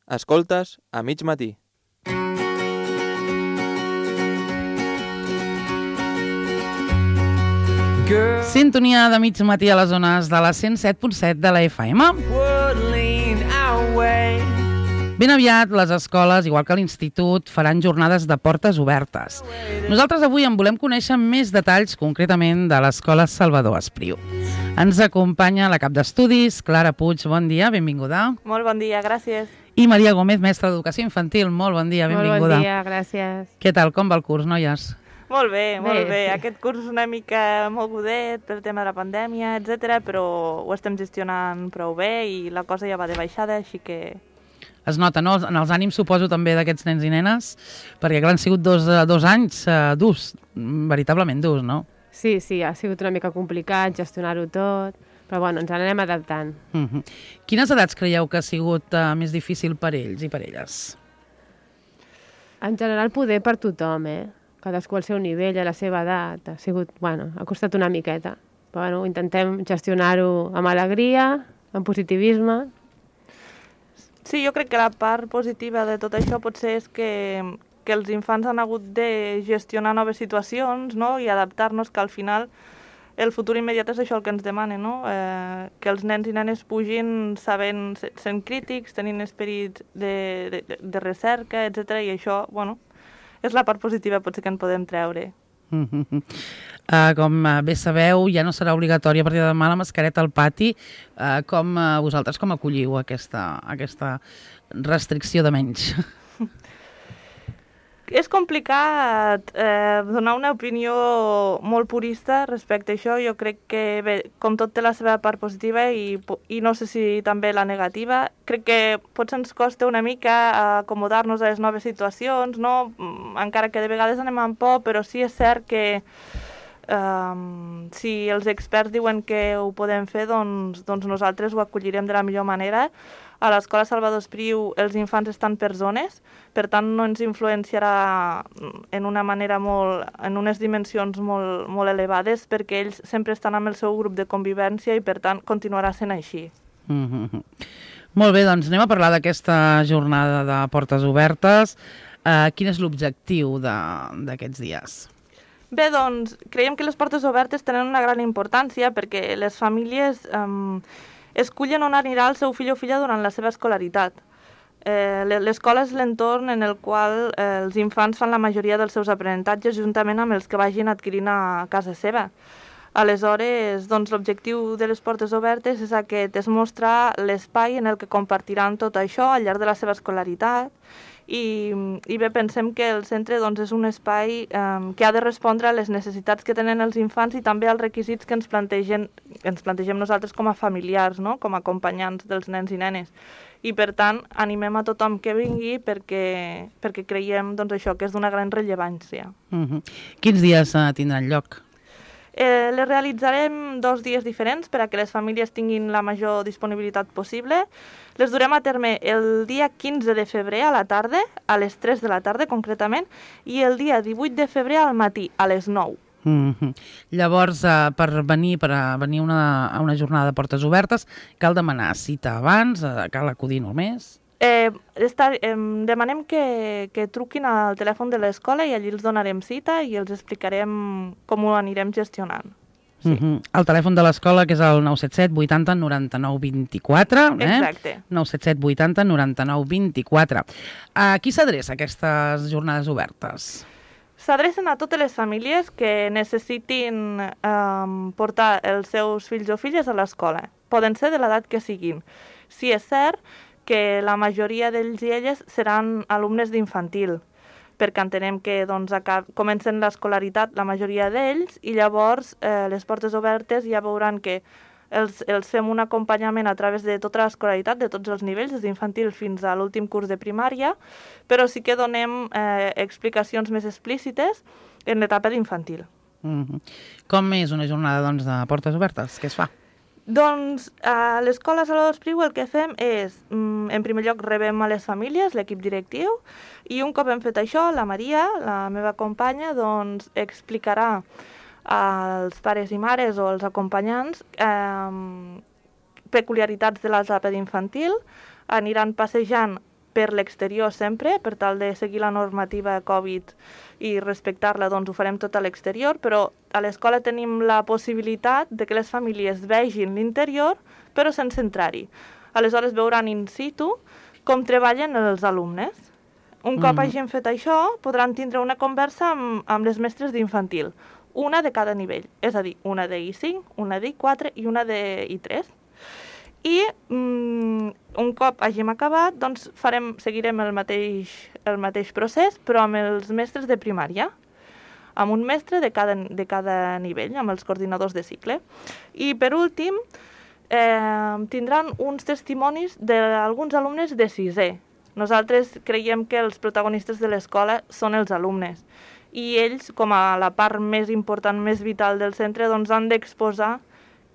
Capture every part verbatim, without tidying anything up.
Escoltes a mig matí. Sintonia de mig matí a les zones de la cent set punt set de la F M. Ben aviat les escoles, igual que l'institut, faran jornades de portes obertes. Nosaltres avui en volem conèixer més detalls, concretament de l'Escola Salvador Espriu. Ens acompanya la cap d'estudis, Clara Puig, bon dia, benvinguda. Molt bon dia, gràcies. I Maria Gómez, mestra d'Educació Infantil, molt bon dia, benvinguda. Molt bon dia, gràcies. Què tal, com va el curs, noies? Molt bé, molt bé. Bé, sí. Aquest curs és una mica mogudet pel tema de la pandèmia, etcètera, però ho estem gestionant prou bé i la cosa ja va de baixada, així que... Es nota, no? En els ànims, suposo, també d'aquests nens i nenes, perquè clar, han sigut dos, dos anys uh, durs, veritablement durs, no? Sí, sí, ha sigut una mica complicat gestionar-ho tot, però bueno, ens anem adaptant. Uh -huh. Quines edats creieu que ha sigut uh, més difícil per ells i per elles? En general, poder per tothom, eh? Cadascú al seu nivell, a la seva edat. Ha sigut, bueno, ha costat una miqueta. Però bueno, intentem gestionar-ho amb alegria, amb positivisme. Sí, jo crec que la part positiva de tot això potser és que, que els infants han hagut de gestionar noves situacions, no?, i adaptar-nos, que al final el futur immediat és això el que ens demana, no? Eh, que els nens i nenes pugin sabent, sent crítics, tenint esperit de, de, de recerca, etcètera, i això, bueno, és la part positiva potser que en podem treure. Uh -huh. uh, com uh, bé sabeu, ja no serà obligatòria a partir de demà la mascareta al pati. Uh, com uh, vosaltres com acolliu aquesta, aquesta restricció de menys? És complicat eh, donar una opinió molt purista respecte a això. Jo crec que, bé, com tot té la seva part positiva i, i no sé si també la negativa, crec que potser ens costa una mica acomodar-nos a les noves situacions, no? Encara que de vegades anem amb por, però sí és cert que um, si els experts diuen que ho podem fer, doncs, doncs nosaltres ho acollirem de la millor manera. A l'Escola Salvador Espriu els infants estan per zones, per tant no ens influenciarà en una manera molt, en unes dimensions molt, molt elevades, perquè ells sempre estan amb el seu grup de convivència i per tant continuarà sent així. Mm-hmm. Molt bé, doncs anem a parlar d'aquesta jornada de portes obertes. Uh, quin és l'objectiu d'aquests dies? Bé, doncs creiem que les portes obertes tenen una gran importància perquè les famílies um, escullen on anirà el seu fill o filla durant la seva escolaritat. Eh, L'escola és l'entorn en el qual eh, els infants fan la majoria dels seus aprenentatges juntament amb els que vagin adquirint a casa seva. Aleshores, doncs, l'objectiu de les portes obertes és aquest, és mostrar l'espai en el que compartiran tot això al llarg de la seva escolaritat i, i bé, pensem que el centre doncs, és un espai eh, que ha de respondre a les necessitats que tenen els infants i també als requisits que ens plantegem, ens plantegem nosaltres com a familiars, no?, com a acompanyants dels nens i nenes. I per tant, animem a tothom que vingui perquè, perquè creiem doncs, això que és d'una gran rellevància. Uh-huh. Quins dies uh, tindran lloc? Eh, les realitzarem dos dies diferents per a que les famílies tinguin la major disponibilitat possible. Les durem a terme el dia quinze de febrer a la tarda, a les tres de la tarda concretament, i el dia divuit de febrer al matí, a les nou. Mm-hmm. Llavors, uh, per venir per a venir una, a una jornada de portes obertes, cal demanar cita abans, uh, cal acudir només? Eh, estar, eh, demanem que, que truquin al telèfon de l'escola i allí els donarem cita i els explicarem com ho anirem gestionant. Sí. Mm-hmm. El telèfon de l'escola, que és el nou set set vuitanta noranta-nou vint-i-quatre. Eh? Exacte. nou set set vuitanta noranta-nou vint-i-quatre. A qui s'adreça aquestes jornades obertes? S'adrecen a totes les famílies que necessitin eh, portar els seus fills o filles a l'escola. Poden ser de l'edat que siguin. Si és cert que la majoria d'ells i elles seran alumnes d'infantil, perquè entenem que doncs, comencen l'escolaritat la majoria d'ells i llavors eh, les portes obertes ja veuran que els, els fem un acompanyament a través de tota l'escolaritat, de tots els nivells, des d'infantil fins a l'últim curs de primària, però sí que donem eh, explicacions més explícites en l'etapa d'infantil. Mm-hmm. Com és una jornada doncs, de portes obertes? Què es fa? Doncs a l'Escola Salvador Espriu el que fem és, en primer lloc, rebem a les famílies, l'equip directiu, i un cop hem fet això, la Maria, la meva companya, doncs explicarà als pares i mares o als acompanyants eh, peculiaritats de l'etapa d'infantil, aniran passejant per l'exterior sempre, per tal de seguir la normativa Covid i respectar-la, doncs ho farem tot a l'exterior, però a l'escola tenim la possibilitat de que les famílies vegin l'interior, però sense entrar-hi. Aleshores veuran in situ com treballen els alumnes. Un cop mm. hagin fet això, podran tindre una conversa amb, amb les mestres d'infantil, una de cada nivell, és a dir, una de I cinc, una de I quatre i una de I tres. I mm, un cop hàgim acabat, doncs farem, seguirem el mateix, el mateix procés, però amb els mestres de primària, amb un mestre de cada, de cada nivell, amb els coordinadors de cicle. I per últim, eh, tindran uns testimonis d'alguns alumnes de sisè. Nosaltres creiem que els protagonistes de l'escola són els alumnes i ells, com a la part més important, més vital del centre, doncs han d'exposar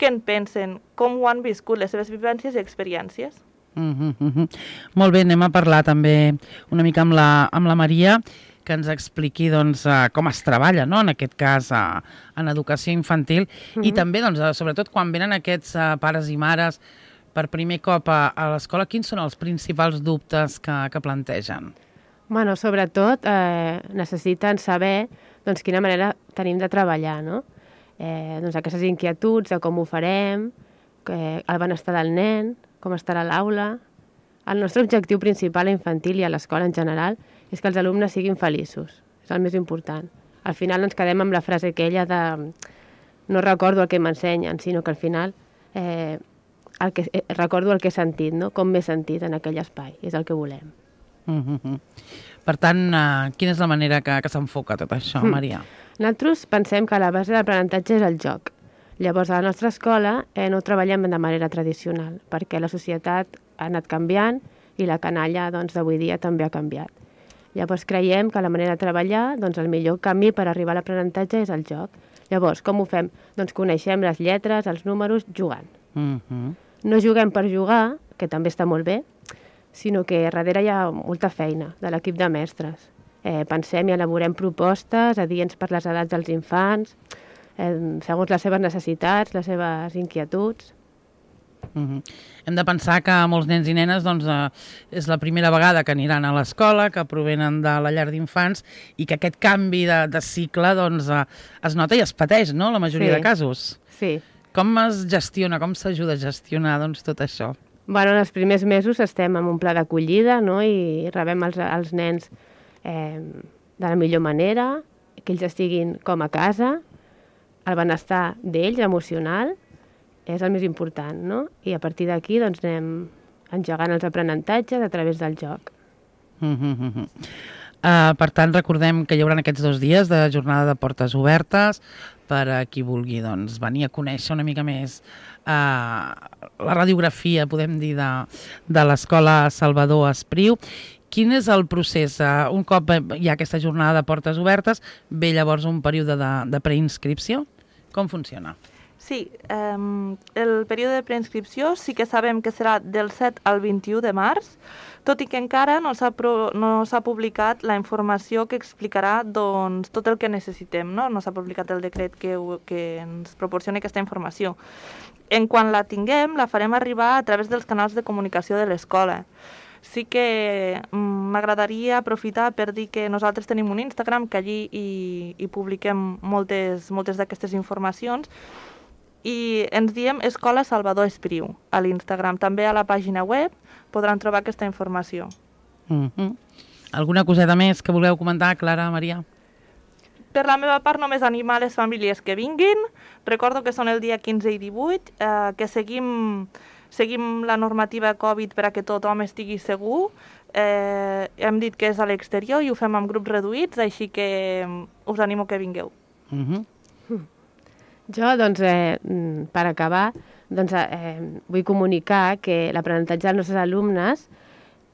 què en pensen, com ho han viscut, les seves vivències i experiències. Mm -hmm. Molt bé, anem a parlar també una mica amb la, amb la Maria, que ens expliqui doncs, com es treballa, no? En aquest cas en educació infantil, mm -hmm. i també, doncs, sobretot, quan venen aquests pares i mares per primer cop a, a l'escola, quins són els principals dubtes que, que plantegen? Bueno, sobretot eh, necessiten saber doncs, quina manera tenim de treballar, no? Eh, doncs aquestes inquietuds de com ho farem, que, el benestar del nen, com estarà l'aula. El nostre objectiu principal a infantil i a l'escola en general és que els alumnes siguin feliços, és el més important. Al final ens quedem amb la frase aquella de no recordo el que m'ensenyen, sinó que al final eh, el que, eh, recordo el que he sentit, no? Com m'he sentit en aquell espai, és el que volem. Mm-hmm. Per tant, uh, quina és la manera que, que s'enfoca tot això, Maria? Mm. Nosaltres pensem que la base de l'aprenentatge és el joc. Llavors, a la nostra escola eh, no ho treballem de manera tradicional, perquè la societat ha anat canviant i la canalla doncs, d'avui dia també ha canviat. Llavors, creiem que la manera de treballar, doncs, el millor camí per arribar a l'aprenentatge és el joc. Llavors, com ho fem? Doncs coneixem les lletres, els números, jugant. Mm-hmm. No juguem per jugar, que també està molt bé, sinó que darrere hi ha molta feina de l'equip de mestres. Eh, pensem i elaborem propostes adients per les edats dels infants, eh, segons les seves necessitats, les seves inquietuds. Mm-hmm. Hem de pensar que molts nens i nenes doncs, eh, és la primera vegada que aniran a l'escola, que provenen de la llar d'infants i que aquest canvi de, de cicle doncs, eh, es nota i es pateix, no?, la majoria sí. de casos. Sí. Com es gestiona, com s'ajuda a gestionar doncs, tot això? Bueno, en els primers mesos estem en un pla d'acollida, no?, i rebem els, els nens eh, de la millor manera, que ells estiguin com a casa, el benestar d'ells, emocional, és el més important, no? I a partir d'aquí doncs, anem engegant els aprenentatges a través del joc. Mm-hmm. Uh, per tant, recordem que hi haurà aquests dos dies de jornada de portes obertes per a qui vulgui doncs, venir a conèixer una mica més uh, la radiografia, podem dir, de, de l'Escola Salvador Espriu. Quin és el procés? Uh, un cop hi ha aquesta jornada de portes obertes, ve llavors un període de, de preinscripció? Com funciona? Sí, eh, el període de preinscripció sí que sabem que serà del set al vint-i-u de març, tot i que encara no s'ha no s'ha publicat la informació que explicarà doncs, tot el que necessitem, no? No s'ha publicat el decret que, que ens proporciona aquesta informació. En quan la tinguem, la farem arribar a través dels canals de comunicació de l'escola. Sí que m'agradaria aprofitar per dir que nosaltres tenim un Instagram, que allí hi, hi publiquem moltes, moltes d'aquestes informacions, i ens diem Escola Salvador Espriu a l'Instagram. També a la pàgina web podran trobar aquesta informació. Mm-hmm. Alguna coseta més que vulgueu comentar, Clara, Maria? Per la meva part, només animar les famílies que vinguin. Recordo que són el dia quinze i divuit, eh, que seguim, seguim la normativa Covid per a que tothom estigui segur. Eh, hem dit que és a l'exterior i ho fem amb grups reduïts, així que us animo que vingueu. Mm-hmm. Jo, doncs, eh, per acabar, doncs, eh, vull comunicar que l'aprenentatge dels nostres alumnes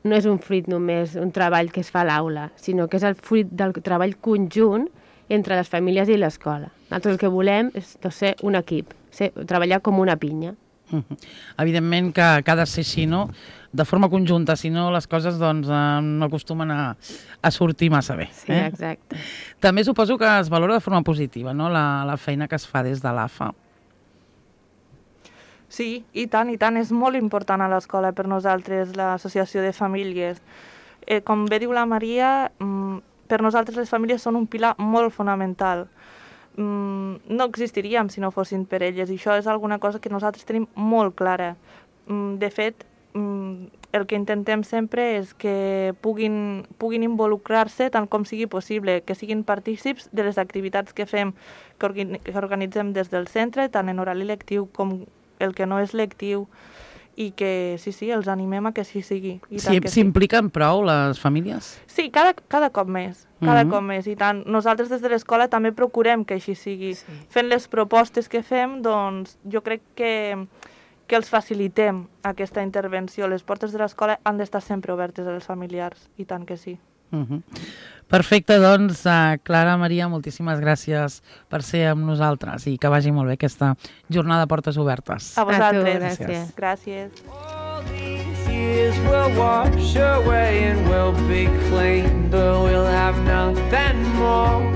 no és un fruit només, un treball que es fa a l'aula, sinó que és el fruit del treball conjunt entre les famílies i l'escola. Nosaltres el que volem és doncs, ser un equip, ser, treballar com una pinya. Mm-hmm. Evidentment que, que ha de ser així, no? De forma conjunta, si no les coses doncs, eh, no acostumen a, a sortir massa bé. Sí, eh? exacte. També suposo que es valora de forma positiva, no?, la, la feina que es fa des de l'A F A. Sí, i tant, i tant. És molt important a l'escola per nosaltres, l'associació de famílies. eh, com bé diu la Maria, mm, per nosaltres les famílies són un pilar molt fonamental. Mm, no existiríem si no fossin per elles, i això és alguna cosa que nosaltres tenim molt clara. Mm, de fet, mm, el que intentem sempre és que puguin, puguin involucrar-se tant com sigui possible, que siguin partícips de les activitats que fem, que, orga que organitzem des del centre, tant en horari lectiu com el que no és lectiu, i que sí, sí, els animem a que sí sigui. S'impliquen prou les famílies? Sí, cada, cada cop més, cada Mm-hmm. cop més, i tant. Nosaltres des de l'escola també procurem que així sigui. Sí. Fent les propostes que fem, doncs jo crec que, que els facilitem aquesta intervenció. Les portes de l'escola han d'estar sempre obertes als familiars, i tant que sí. Uh-huh. Perfecte, doncs, uh, Clara, Maria, moltíssimes gràcies per ser amb nosaltres i que vagi molt bé aquesta jornada de portes obertes. A vosaltres. gràcies. Gràcies. All these years will wash away and we'll be clean, but we'll have nothing more.